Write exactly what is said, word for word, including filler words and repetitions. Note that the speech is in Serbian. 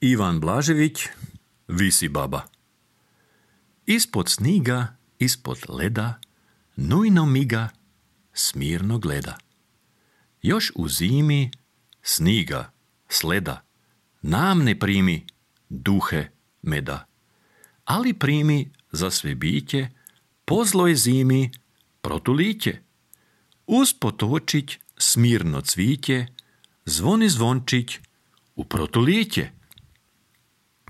Ivan Blažević, Visi baba. Ispod sniga, ispod leda, nujno miga, smirno gleda. Još u zimi, sniga, sleda, nam ne primi duhe meda, ali primi za sve biće, po zloj zimi protuliće. Uz potočić smirno cviće, zvoni zvončić u protuliće.